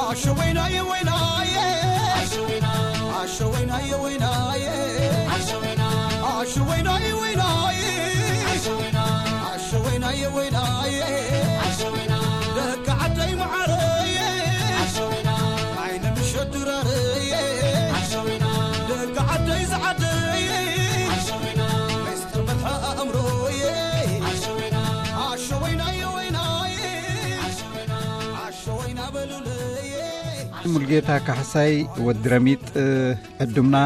ኣሸወይናየ ወይናየ ኣሸወይናየ ወይናየ ኣሸወይናየ ወይናየ ኣሸወይናየ ወይናየ ደቂ ዓደይ መዓረየ ዓይነ ምሸት ድራረየ ደቂ ዓደይ ዝዓደየ ምስጢር መድሓ ኣእምሮየ ኣሸወይናየ ወይናየ ኣሸወይና በሉለየ። ሙልጌታ ካሕሳይ ወዲ ረሚጥ ዕዱምና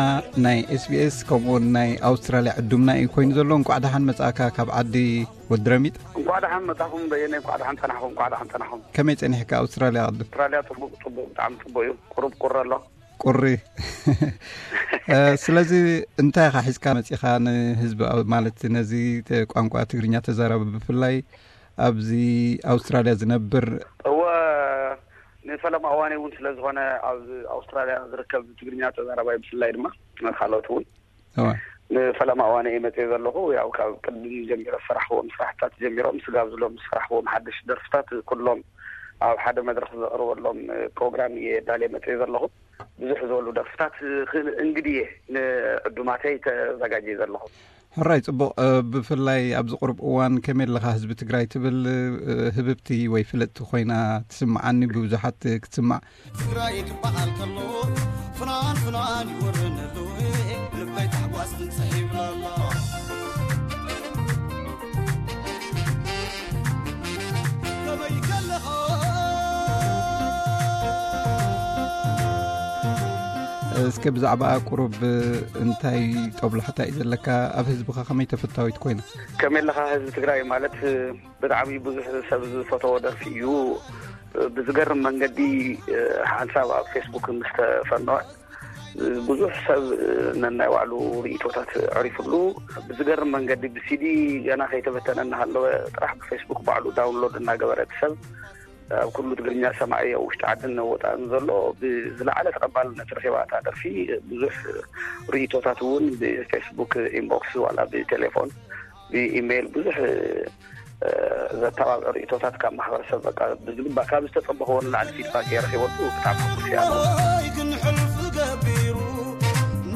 ናይ ኤስቢኤስ ከምኡውን ናይ ኣውስትራልያ ዕዱምና እዩ ኮይኑ ዘሎ። እንቋዕ ደሓን መጻእካ ካብ ዓዲ ወዲ ረሚጥ። እንቋዕ ደሓን መጻኹም በየነ፣ እንቋዕ ደሓን ጸናሕኹም፣ እንቋዕ ደሓን ጸናሕኹም። ከመይ ጸኒሕካ ኣውስትራልያ ቅድም? ኣውስትራልያ ጽቡቕ፣ ጽቡቕ፣ ብጣዕሚ ጽቡቕ እዩ። ቁሩብ ቁሪ ኣሎ። ቁሪ። እ፣ ስለዚ እንታይ ኢኻ ሒዝካ መጺኻ ንህዝቢ፣ ኣብ-፣ ማለት ነዚ ተ-፣ ቋንቋ ትግርኛ ተዛራቢ ብፍላይ ኣብዚ ኣውስትራልያ ዝነብር? እወ፣ ንፈለማ እዋነይ እውን ስለ ዝኾነ ኣብ ኣውስትራልያ ዝርከብ ትግርኛ ተዛራባይ ብፍላይ ድማ ካልኦት እውን እወ። ንፈለማ እዋነይ እየ መጽየ ዘለኹ። ያው ካብ ቅድም ጀሚረ ዝሰራሕክዎም ስራሕታት ጀሚሮም ስጋብ ዝሎም ዝሰራሕክዎም ሓደሽ ደርፍታት ኩሎም ኣብ ሓደ መድረኽ ዘቕርበሎም ፕሮግራም እየ ዳልየ መጽየ ዘለኹ። ብዙሕ ዝበሉ ደርፍታት ክ-፣ እንግድየ ንዕዱማተይ ተዘጋጅየ ዘለኹ። ሕራይ ጽቡቕ። እ፣ ብፍላይ ኣብዚ ቁሩብ እዋን ከመይ ኣለኻ ህዝቢ ትግራይ ትብል፣ እ፣ ህብብቲ ወይ ፍልጥቲ ኮይና ትስምዓኒ፣ ብብዙሓት ክትስማዕ። ትግራይ ክበሃል ከሎ ፍናን ፍናን ይወረነሉ ልበይ ታሕጓስ ትንጽሕ ይብለሎ። ከመይ ከለኻ እስከ ብዛዕባኣ ቁሩብ እንታይ ጦብላሕታ እዩ ዘለካ? ኣብ ህዝብኻ ከመይ ተፈታዊት ኮይና? ከመይ ኣለኻ ህዝቢ ትግራይ ማለት ብጣዕሚ ብዙሕ ሰብ ዝፈተዎ ደርፊ እዩ። ብዝገርም መንገዲ ሓንሳብ ኣብ ፌስቡክ ምስ ተፈነወ ብዙሕ ሰብ ነናይ ባዕሉ ርእይቶታት ኣዕሪፉሉ። ብዝገርም መንገዲ ብሲዲ ገና ከይተበተነ እናሃለወ ጥራሕ ብፌስቡክ ባዕሉ ዳውንሎድ እናገበረ እቲ ሰብ ኣብ ኩሉ ትግርኛ ሰማዒ ኣብ ውሽጢ ዓድን ወፃእን ዘሎ ብዝለዓለ ተቐባልነት ረኺባ እታ ደርፊ። ብዙሕ ርእይቶታት እውን ብፌስቡክ ኢንቦክስ ዋላ ብቴሌፎን ብኢሜይል ብዙሕ እ፣ ዘተባብዕ ርእይቶታት ካብ ማሕበረሰብ በቃ ብዝግባእ ካብ ዝተጸበኽዎ ንላዕሊ ፊድባክ እየ ረኺበሉ። ብጣዕሚ ሕጉስ እየ ኣነ። ወይ ግን ሕልፊ ገቢሩ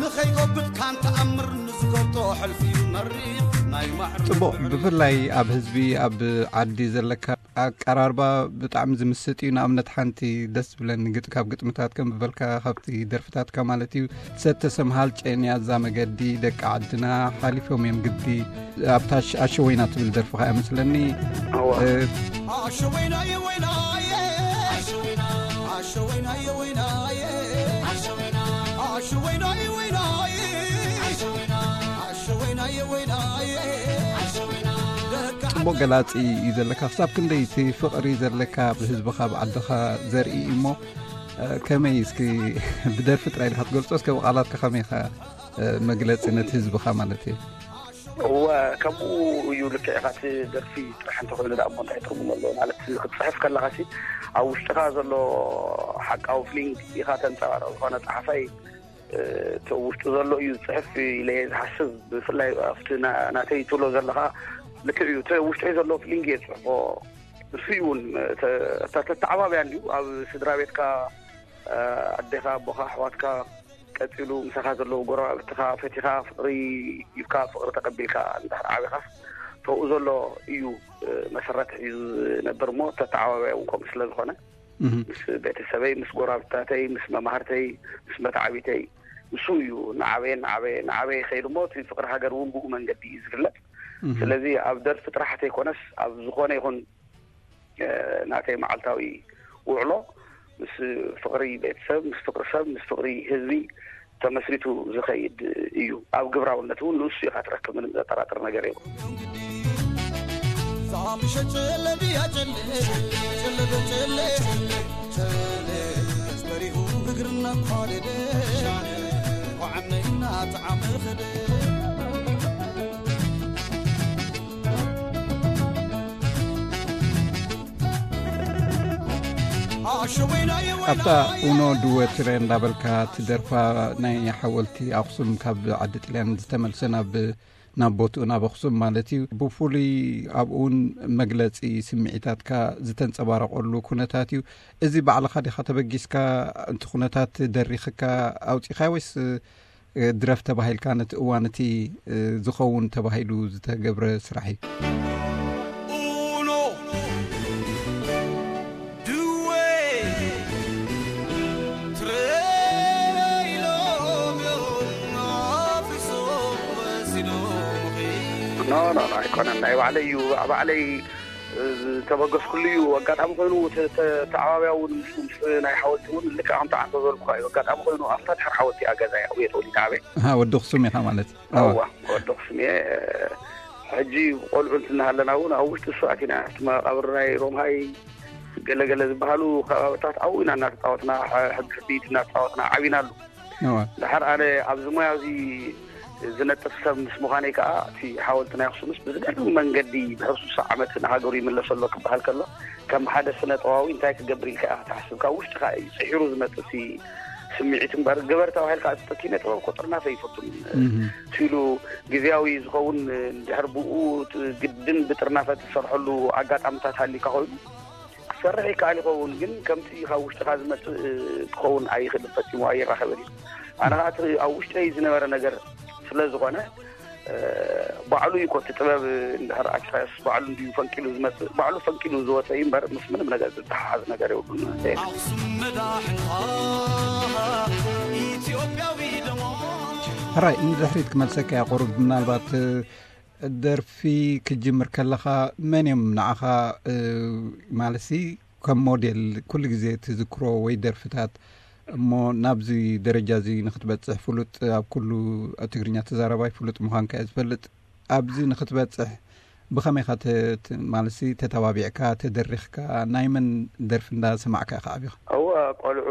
ንኸይጎብጥ ካን ተኣምር ንዝገብጦ ሕልፊ እዩ መሪር ናይ ማዕረ ጽቡቕ። ብፍላይ ኣብ ህዝቢ ኣብ ዓዲ ዘለካ ኣቀራርባ ብጣዕሚ ዝምስጥ እዩ። ንኣብነት ሓንቲ ደስ ዝብለኒ ግጥ-፣ ካብ ግጥምታት ከም ዝበልካ ካብቲ ደርፍታትካ ማለት እዩ፣ ሰተ ሰምሃል ጨንያ እዛ መገዲ ደቂ ዓድና ሓሊፎም እዮም ግዲ ኣብታ ኣሽ-፣ ኣሸወይና ትብል ደርፍኻ እያ መስለኒ። እዋ። እ፣ ኣሸወይናየ ወይናየ ኣሸወይናየ ወይናየ ኣሸወይናየ ወይናየ ኣሸወይናየ ወይናየ ደቂ ጽቡቕ ገላጺ እዩ ዘለካ። ክሳብ ክንደይ እቲ ፍቕሪ ዘለካ ብህዝብኻ ብዓድኻ ዘርኢ እዩ እሞ፣ እ፣ ከመይ እስኪ ብደርፊ ጥራይ ዲኻ ትገልጾ? እስከ ብቓላትካ ከመይ ኢኻ፣ እ፣ መግለጺ ነቲ ህዝብኻ ማለት እዩ? እወ፣ ከምኡ እዩ። ልክዕ ኢኻ። እቲ ደርፊ ጥራሕ እንተኾይኑ ደኣ እሞ እንታይ ትርጉም ኣለዎ? ማለት ክትጽሕፍ ከለኻሲ ኣብ ውሽጥኻ ዘሎ ሓቃዊ ፊሊንግ ኢኻ ተንጸባርቕ። ዝኾነ ጸሓፋይ፣ እ፣ እቲ ውሽጡ ዘሎ እዩ ዝጽሕፍ ኢለ እየ ዝሓስብ። ብፍላይ ኣብቲ ና-፣ ናተይ ትብሎ ዘለኻ ልክዕ እዩ። እቲ ውሽጠይ ዘሎ ፊሊንግ እየ ዝጽሕፎ። ንሱ እዩ እውን፣ ተ-፣ ተ-፣ ተተዓባብያ እንድዩ። ኣብ ስድራ ቤትካ፣ እ፣ ኣዴኻ፣ ኣቦኻ፣ ኣሕዋትካ፣ ቀጺሉ ምሳኻ ዘለዉ ጎረባብትኻ ፈቲኻ፣ ፍቕሪ ሂብካ፣ ፍቕሪ ተቐቢልካ እንድሕር ዓቢኻስ፣ ተብኡ ዘሎ እዩ፣ እ፣ መሰረት ሒዙ ዝነብር እሞ፣ ተተዓባብያ እውን ከምኡ ስለ ዝኾነ፣ እህ። ምስ ቤተሰበይ፣ ምስ ጎረባብታተይ፣ ምስ መማህርተይ፣ ምስ መተዓቢተይ፣ ንሱ እዩ ንዓበየ፣ ንዓበየ፣ ንዓበየ ይኸይድ እሞ፣ እቲ ፍቕሪ ሃገር እውን ብኡ መንገዲ እዩ ዝግለጽ። እህ። ስለዚ ኣብ ደርፊ ጥራሕ ተይኮነስ፣ ኣብ ዝኾነ ይኹን፣ እ፣ ናተይ መዓልታዊ ውዕሎ ምስ ፍቕሪ ቤተሰብ፣ ምስ ፍቕሪ ሰብ፣ ምስ ፍቕሪ ህዝቢ ተመስሪቱ ዝኸይድ እዩ። ኣብ ግብራውነት እውን ንሱ ኢኻ ትረክብ፣ ምንም ዘጠራጥር ነገር የብሉን። ዛምሸ ጨለ ድያ ጨለ፣ ጨለ ዶ ጨለ፣ ጨለ፣ በሪሁ እግርና ኳደደ፣ ዋዕነይና ጣዕመ ኸደ። ኣብታ ኡኖ ድወ ትረ እንዳበልካ ትደርፋ ናይ ሓወልቲ ኣኽሱም ካብ ዓዲ ጥልያን ዝተመልሰ ናብ ናብ ቦትኡ ናብ ኣኽሱም ማለት እዩ። ብፍሉይ ኣብኡ እውን መግለጺ ስምዒታትካ ዝተንጸባረቐሉ ኩነታት እዩ። እዚ ባዕልኻ ዲኻ ተበጊስካ፣ እቲ ኩነታት ደሪኽካ ኣውጺኻዮ ወይስ ድረፍ ተባሂልካ ነቲ እዋን እቲ ዝኸውን ተባሂሉ ዝተገብረ ስራሕ እዩ? Uno, due, tre, ኢሎም እዮም ኣፍሪሶም ወሲዶምኺ። ኖ፣ ኖ፣ ኖ፣ ኣይኮነን። ናይ ባዕለይ እዩ፣ ባዕለይ ዝተበገስኩሉ እዩ። ኣጋጣሚ ኮይኑ፣ ተ-፣ ተ-፣ ተዓባብያ እውን ምስ፣ ምስ ናይ ሓወልቲ እውን ልክዕ ከምቲ ዓንተ ዝበልኩኻ እዩ። ኣጋጣሚ ኮይኑ፣ ኣብታ ድሕሪ ሓወልቲ እያ ገዛይ፣ ኣብኡ እየ ተወሊደ ዓበየ። ኣሃ፣ ወዲ ኣኽሱም ኢኻ ማለት እዩ። ኣዋ። ኣዋ፣ ወዲ ኣኽሱም እየ። ሕጂ ቆልዑ እንትናሃለና እውን ኣብ ውሽጢ እሱ ኣቲና፣ ኣብቲ መቓብር ናይ ሮምሃይ ገለ ገለ ዝበሃሉ ከባብታት ኣብኡ ኢና እናተፃወትና፣ ሕ-፣ ሕቢ ሕቢት እናተፃወትና ዓቢናሉ። እዋ። ድሓር ኣነ ኣብዚ ሞያ እዚ ዝነጥፍ ሰብ ምስ ምዃነይ ከኣ፣ እቲ ሓወልቲ ናይ ኣኽሱምስ ብዝገርም መንገዲ ብሕሱስ ዓመት ንሃገሩ ይምለስ ኣሎ ክበሃል ከሎ፣ ከም ሓደ ስነ ጥበባዊ እንታይ ክገብር ኢልካ ኢኻ ትሓስብ? ካብ ውሽጥኻ እዩ ጽሒሩ ዝመጽእ እቲ ስምዒት እምበር፣ ግበር ተባሂልካ እቲ ኪነ ጥበብ እኮ ጥርናፈ ኣይፈቱን። እህ። ትሉ ግዝያዊ ዝኸውን፣ እንድሕር ብኡ ግድን ብጥርናፈ ትሰርሐሉ ኣጋጣሚታት ሃሊካ ኮይኑ፣ ክሰርሕ ይከኣል ይኸውን፣ ግን ከምቲ ካብ ውሽጥኻ ዝመጽእ ክኸውን ኣይኽእልን፣ ፈጺሙ ኣይራኸብን እዩ። ኣነ ኸዓ እቲ ኣብ ውሽጠይ ዝነበረ ነገር ስለ ዝኾነ፣ እ፣ ባዕሉ እዩ እኮ እቲ ጥበብ እንድሕር ኣኪኻዮስ፣ ባዕሉ እንድዩ ፈንቂሉ ዝመጽእ፣ ባዕሉ ፈንቂሉ ዝወጸ እዩ እምበር፣ ምስ ምንም ነገር ዝተሓሓዝ ነገር የብሉን። ኣኽሱም መዳሕንኻ ኢትዮጵያዊ ደሞ። ሕራይ፣ ንድሕሪት ክመልሰካ እያ ቁሩብ። ምናልባት፣ እ፣ ደርፊ ክትጅምር ከለኻ መን እዮም ንዓኻ፣ እ፣ ማለትሲ ከም ሞዴል ኩሉ ግዜ ትዝክሮ ወይ ደርፍታት፣ እሞ ናብዚ ደረጃ እዚ ንክትበጽሕ ፍሉጥ፣ ኣብ ኩሉ ትግርኛ ተዛራባይ ፍሉጥ ምዃንካ እየ ዝፈልጥ። ኣብዚ ንክትበጽሕ ብኸመይ ኢኻ ተ-፣ ተ-፣ ማለትሲ ተተባቢዕካ፣ ተደሪኽካ፣ ናይ መን ደርፊ እንዳሰማዕካ ኢኻ ዓቢኻ? እወ፣ ቆልዑ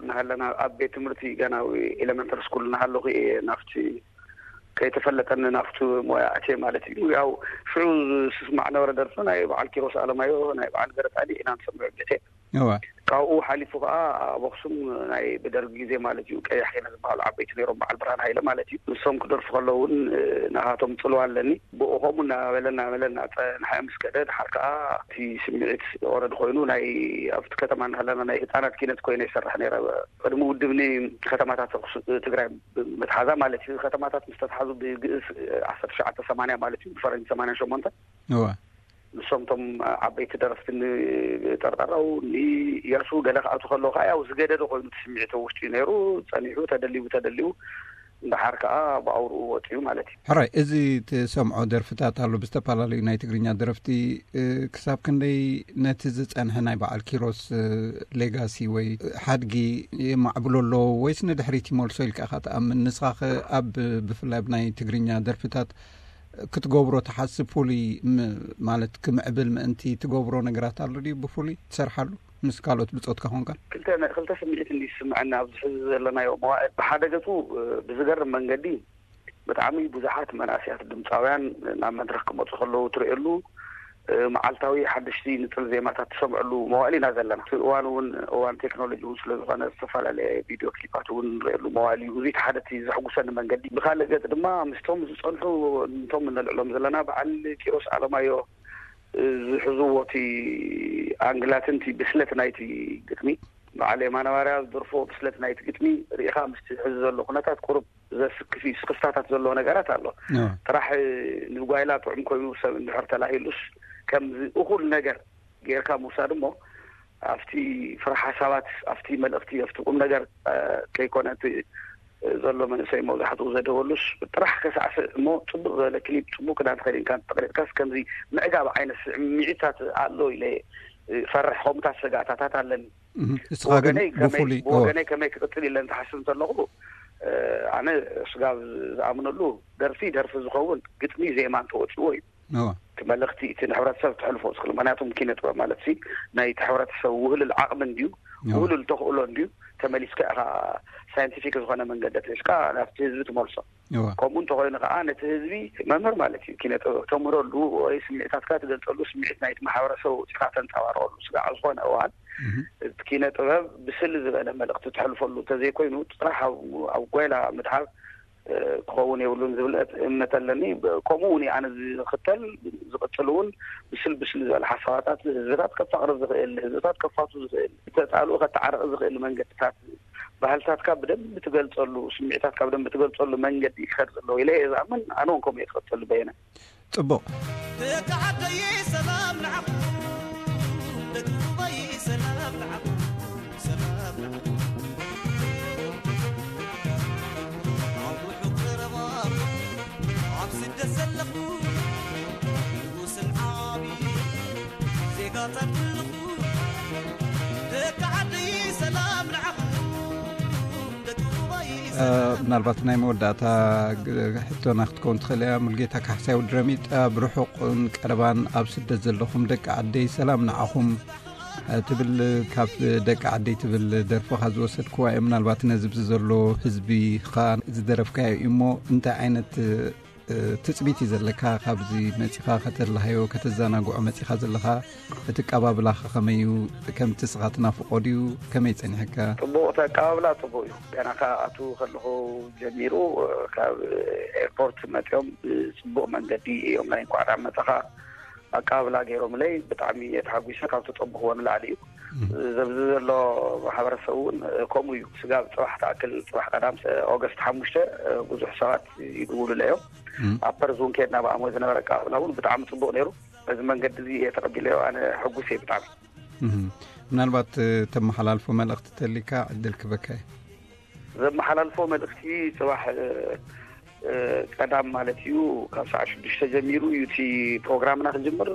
እናሃለና ኣብ ቤት ትምህርቲ ገና ኤሌመንተሪ ስኩል እናሃለኹ እየ ናብቲ ከይተፈለጠኒ ናብቲ ሞያ ኣትየ ማለት እዩ። ያው ሽዑ ዝስማዕ ነበረ ደርፊ ናይ በዓል ኪሮስ ኣለማዮ፣ ናይ በዓል ገረጻድቕ ኢና ንሰምዕ ቤቴ። እወ። ካብኡ ሓሊፉ ከኣ ኣብ ኣኽሱም ናይ ብደርጊ ግዜ ማለት እዩ፣ ቀያሕ ኪነ ዝበሃሉ ዓበይቲ ነይሮም፣ በዓል ብርሃን ሃይለ ማለት እዩ። ንሶም ክደርፉ ከለዉ እውን፣ እ፣ ናኻቶም ጽልዋ ኣለኒ። ብኡ ከምኡ እናበለ እናበለ እናጸንሐ ምስ ከደ፣ ድሓር ከኣ እቲ ስምዒት ኦረድ ኮይኑ፣ ናይ ኣብቲ ከተማ እናሃለና ናይ ህጻናት ኪነት ኮይነ ይሰርሕ ነይረ። ቅድሚ ውድብ ንከተማታት ኣኽሱ-፣ ትግራይ ብምትሓዛ ማለት እዩ። ከተማታት ምስ ተትሓዙ ብግእዝ ዓሰርተ ትሽዓተ ሰማንያ ማለት እዩ፣ ብፈረንጂ ሰማንያ ሸሞንተ። እወ። ንሶም እቶም ዓበይቲ ደረፍቲ ንጠርጠራው፣ ንእያሱ ገለ ክኣቱ ከለዉ ከዓ ያው ዝገደደ ኮይኑ እቲ ስምዒት ኣብ ውሽጢ እዩ ነይሩ። ጸኒሑ ተደሊቡ ተደሊቡ፣ እንድሓር ከዓ ብኣውርኡ ወፂኡ ማለት እዩ። ሕራይ፣ እዚ ትሰምዖ ደርፍታት ኣሎ ብዝተፈላለዩ ናይ ትግርኛ ደረፍቲ፣ እ፣ ክሳብ ክንደይ ነቲ ዝጸንሐ ናይ በዓል ኪሮስ፣ እ፣ ሌጋሲ ወይ ሓድጊ የማዕብሎ ኣሎ ወይስ ንድሕሪት ይመልሶ ኢልካ ኢኻ ትኣምን? ንስኻ ኸ ኣብ፣ ብፍላይ ኣብ ናይ ትግርኛ ደርፍታት ክትገብሮ ትሓስብ ፍሉይ ም-፣ ማለት ክምዕብል ምእንቲ ትገብሮ ነገራት ኣሎ ድዩ? ብፍሉይ ትሰርሓሉ ምስ ካልኦት ብጾትካ ኮንካ? ክልተ ነ-፣ ክልተ ስምዒት እንዲ ዝስምዐኒ ኣብዚ ሕዚ ዘለናዮ መዋእል። ብሓደ ገጹ፣ እ፣ ብዝገርም መንገዲ ብጣዕሚ ብዙሓት መናእሰያት ድምጻውያን ናብ መድረኽ ክመጹ ከለዉ ትርእየሉ፣ እ፣ መዓልታዊ ሓደሽቲ ንጽል ዜማታት ትሰምዐሉ መዋእል ኢና ዘለና። እቲ እዋን እውን እዋን ቴክኖሎጂ እውን ስለ ዝኾነ ዝተፈላለየ ቪድዮ ክሊፓት እውን ንርእየሉ መዋእል እዩ። እዚ እቲ ሓደ እቲ ዘሕጉሰኒ መንገዲ። ብኻልእ ገጽ ድማ ምስቶም ዝጸንሑ፣ እንቶም እነልዕሎም ዘለና በዓል ኪሮስ ኣለማዮ፣ እ፣ ዝሕዝዎ እቲ ኣንግላትን እቲ ብስለት ናይቲ ግጥሚ፣ በዓል የማነ ባርያ ዝደርፎ ብስለት ናይቲ ግጥሚ ርኢኻ ምስቲ ሕዚ ዘሎ ኩነታት ቁሩብ ዘስክፍ እዩ። ስክፍታታት ዘለዎ ነገራት ኣሎ። ኣዎ። ጥራሕ ንጓይላ ጥዑም ኮይኑ ሰብ እንድሕር ተላሂሉስ ከምዚ እኹል ነገር ጌርካ ምውሳድ እሞ ኣብቲ ፍረ ሓሳባት፣ ኣብቲ መልእኽቲ፣ ኣብቲ ቁም ነገር፣ እ፣ ከይኮነ እቲ ዘሎ መንእሰይ መብዛሕትኡ ዘደበሉስ ጥራሕ ከሳዕስዕ እሞ ጽቡቕ ዝበለ ክሊፕ፣ ጽቡቕ ክዳን ተኸዲንካ እንተጠቕሊልካስ ከምዚ ምዕጋብ ዓይነት ስምዒታት ኣሎ ኢለ እፈርሕ። ከምኡታት ስጋታታት ኣለኒ። እህ፣ እስኻ ግን ብወገነይ ከመይ፣ ብፍሉይ፣ ብወገነይ ከመይ ክቕጽል ኢለ እንትሓስብ እንተለኹ፣ እ፣ ኣነ ስጋብ ዝኣምነሉ ደርፊ ደርፊ ዝኸውን ግጥሚ ዜማ እንተወጺዎ እዩ። እዋ። እቲ መልእኽቲ እቲ ንሕብረተሰብ ተሕልፎ ዝኽእል፣ ምኽንያቱም ኪነ ጥበብ ማለት ሲ ናይቲ ሕብረተሰብ ውህልል ዓቕሚ እንድዩ፣ እዋ። ውህልል ተኽእሎ እንድዩ፣ ተመሊስካ ኢኻ ሳይንቲፊክ ዝኾነ መንገዲ ኣትሒዝካ ናብቲ ህዝቢ ትመልሶ። እዋ። ከምኡ እንተኾይኑ ከዓ ነቲ ህዝቢ መምህር ማለት እዩ። ኪነ ጥበብ ተምህረሉ ወይ ስምዒታትካ ትገልጸሉ፣ ስምዒት ናይቲ ማሕበረሰብ ኣውጺእካ ተንጸባርቐሉ። ስጋዕ ዝኾነ እዋን እህ። እቲ ኪነ ጥበብ ብስል ዝበለ መልእኽቲ ተሕልፈሉ እንተዘይኮይኑ ጥራሕ ኣብ፣ ኣብ ጓይላ ምድሃብ ክኸውን የብሉን ዝብል እምነት ኣለኒ። ከምኡ እውን ኣነ ዝኽተል፣ ዝቕፅል እውን ብስል ብስል ዝበለ ሓሳባታት ህዝብታት ከፋቕር ዝኽእል፣ ህዝብታት ከፋቱ ዝኽእል፣ ተጣልኡ ከተዓርቕ ዝኽእል መንገድታት፣ ባህልታትካ ብደንብ ትገልፀሉ፣ ስምዒታትካ ብደንብ ትገልፀሉ መንገዲ ክኸድ ዘለዎ ኢለ እየ ዝኣምን። ኣነ እውን ከምኡ እየ ዝቐፅል። በየነ። ፅቡቕ። ደቂ ዓደይ ሰላም ንዓኹም፣ ደቂ ሩባይ ሰላም ንዓኹም፣ ሰላም ንዓኹም። ኣብ ርሑቕ ቀረባ፣ ኣብ ስደት ዘለኹ፣ ንጉስን ዓቢ ዜጋታት ኩልኹ፣ ደቂ ዓደይ ሰላም ንዓኹም፣ ደቂ ሩባይ እ፣ ሰላም። ምናልባት ናይ መወዳእታ ግ-፣ ሕቶና ክትከውን ትኽእል እያ። ሙልጌታ ካሕሳይ ወዲ ረሚጥ፣ ኣብ ርሑቕን ቀረባን ኣብ ስደት ዘለኹም ደቂ ዓደይ ሰላም ንዓኹም፣ እ፣ ትብል፣ ካብ ደቂ ዓደይ ትብል ደርፍኻ ዝወሰድክዋ እየ። ምናልባት ነዚ ብዚ ዘሎ ህዝቢ ኸኣ ዝደረፍካዮ እዩ እሞ እንታይ ዓይነት፣ እ፣ ትጽቢት እዩ ዘለካ ካብዚ መጺኻ ከተላሃዮ፣ ከተዘናግዖ መጺኻ ዘለኻ? እቲ ኣቀባብላኸ ከመይ እዩ? ከምቲ ንስኻ ትናፍቖ ድዩ? ከመይ ጸኒሕካ? ጽቡቕ፣ እቲ ኣቀባብላ ጽቡቕ እዩ። ገና ካብ ኣትዉ ከለኹ ጀሚሩ፣ ካብ ኤርፖርት መጺኦም ብጽቡቕ መንገዲ እዮም ናይ እንኳዕ ደሓን መጻኻ ኣቀባብላ ገይሮምለይ። ብጣዕሚ እየ ተሓጒሰ፣ ካብ ዝጠበኽዎ ንላዕሊ እዩ። እም። ዘብዚ ዘሎ ማሕበረሰብ እውን ከምኡ እዩ። ስጋብ ጽባሕ ትኣክል፣ ጽባሕ ቀዳም ሰ-፣ ኦገስት ሓሙሽተ ብዙሕ ሰባት ይድውሉለይ እዮም። እም። ኣብ ፐርዝ እውን ከድና ብኣሞ ዝነበረ ኣቀባብላ እውን ብጣዕሚ ጽቡቕ ነይሩ። በዚ መንገዲ እዚ እየ ተቐቢለዮ። ኣነ ሕጉስ እየ ብጣዕሚ። እም። ምናልባት፣ እ፣ ተመሓላልፎ መልእኽቲ ተሊካ ዕድል ክበካ እየ። ዘመሓላልፎ መልእኽቲ፣ ጽባሕ፣ እ፣ እ፣ ቀዳም ማለት እዩ፣ ካብ ሰዓት ሽዱሽተ ጀሚሩ እዩ እቲ ፕሮግራምና ክጅምር።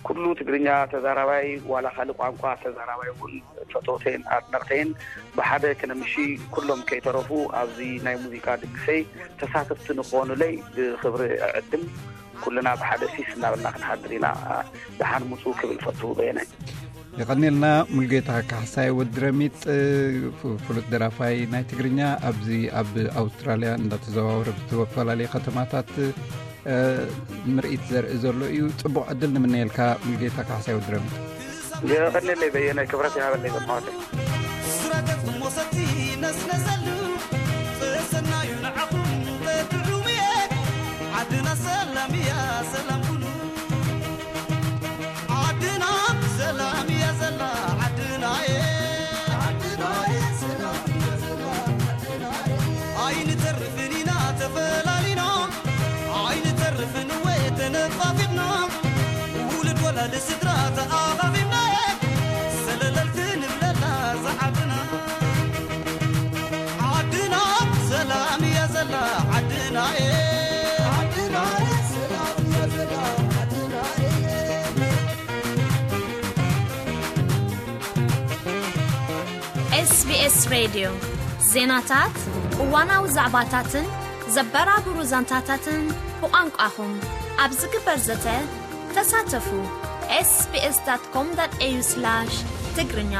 ኩሉ ትግርኛ ተዛራባይ፣ ዋላ ካልእ ቋንቋ ተዛራባይ እውን፣ ፈተውተይን ኣድነቕተይን ብሓደ ክነምሺ፣ ኩሎም ከይተረፉ ኣብዚ ናይ ሙዚቃ ድግሰይ ተሳተፍቲ ንክኾኑለይ ብኽብሪ እዕድም። ኩልና ብሓደ ሲስ እናበልና ክንሓድር ኢና። ደሓን ምጹ ክብል ፈቱ በየነ። የቐንየልና። ሙልጌታ ካሕሳይ ወዲ ረሚጥ፣ ፍ-፣ ፍሉጥ ደራፋይ ናይ ትግርኛ፣ ኣብዚ ኣብ ኣውስትራልያ እንዳተዘዋወረ ብዝተፈላለየ ከተማታት፣ እ፣ ምርኢት ዘርኢ ዘሎ እዩ። ጽቡቕ ዕድል ንምነየልካ ሙልጌታ ካሕሳይ ወዲ ረሚጥ። የቐንየለይ በየነ፣ ክብረት ይሃበለይ ዘማዋተይ። ስረገጽ ሞሰቲ ነስነሰሉ፣ ጽሰናዩ ንዓኹም ተትዕውየ፣ ዓድና ሰላም እያ፣ ሰላም ኩኑ። ዓድና ሰላም እያ ዘላ፣ ዓድናየ። ኣይንተርፍን ኢና ተፈላሊና፣ ኣይንተርፍን ወይ ተነፋፊቕና፣ ውሉድ ወላዲ ስድራ ተኣኻኺብና፣ ሰለለል ክንብለላ እዛ ዓድና። ዓድና ሰላም እያ ዘላ፣ ዓድናየ። ዓድና ሰላም እያ ዘላ፣ ዓድናየ። SBS ሬድዮ፣ ዜናታት፣ እዋናዊ ዛዕባታትን ዘበራብሩ ዛንታታትን ብቋንቋኹም። ኣብ ዝግበር ዘተ ተሳተፉ። SBS.com.au/ትግርኛ።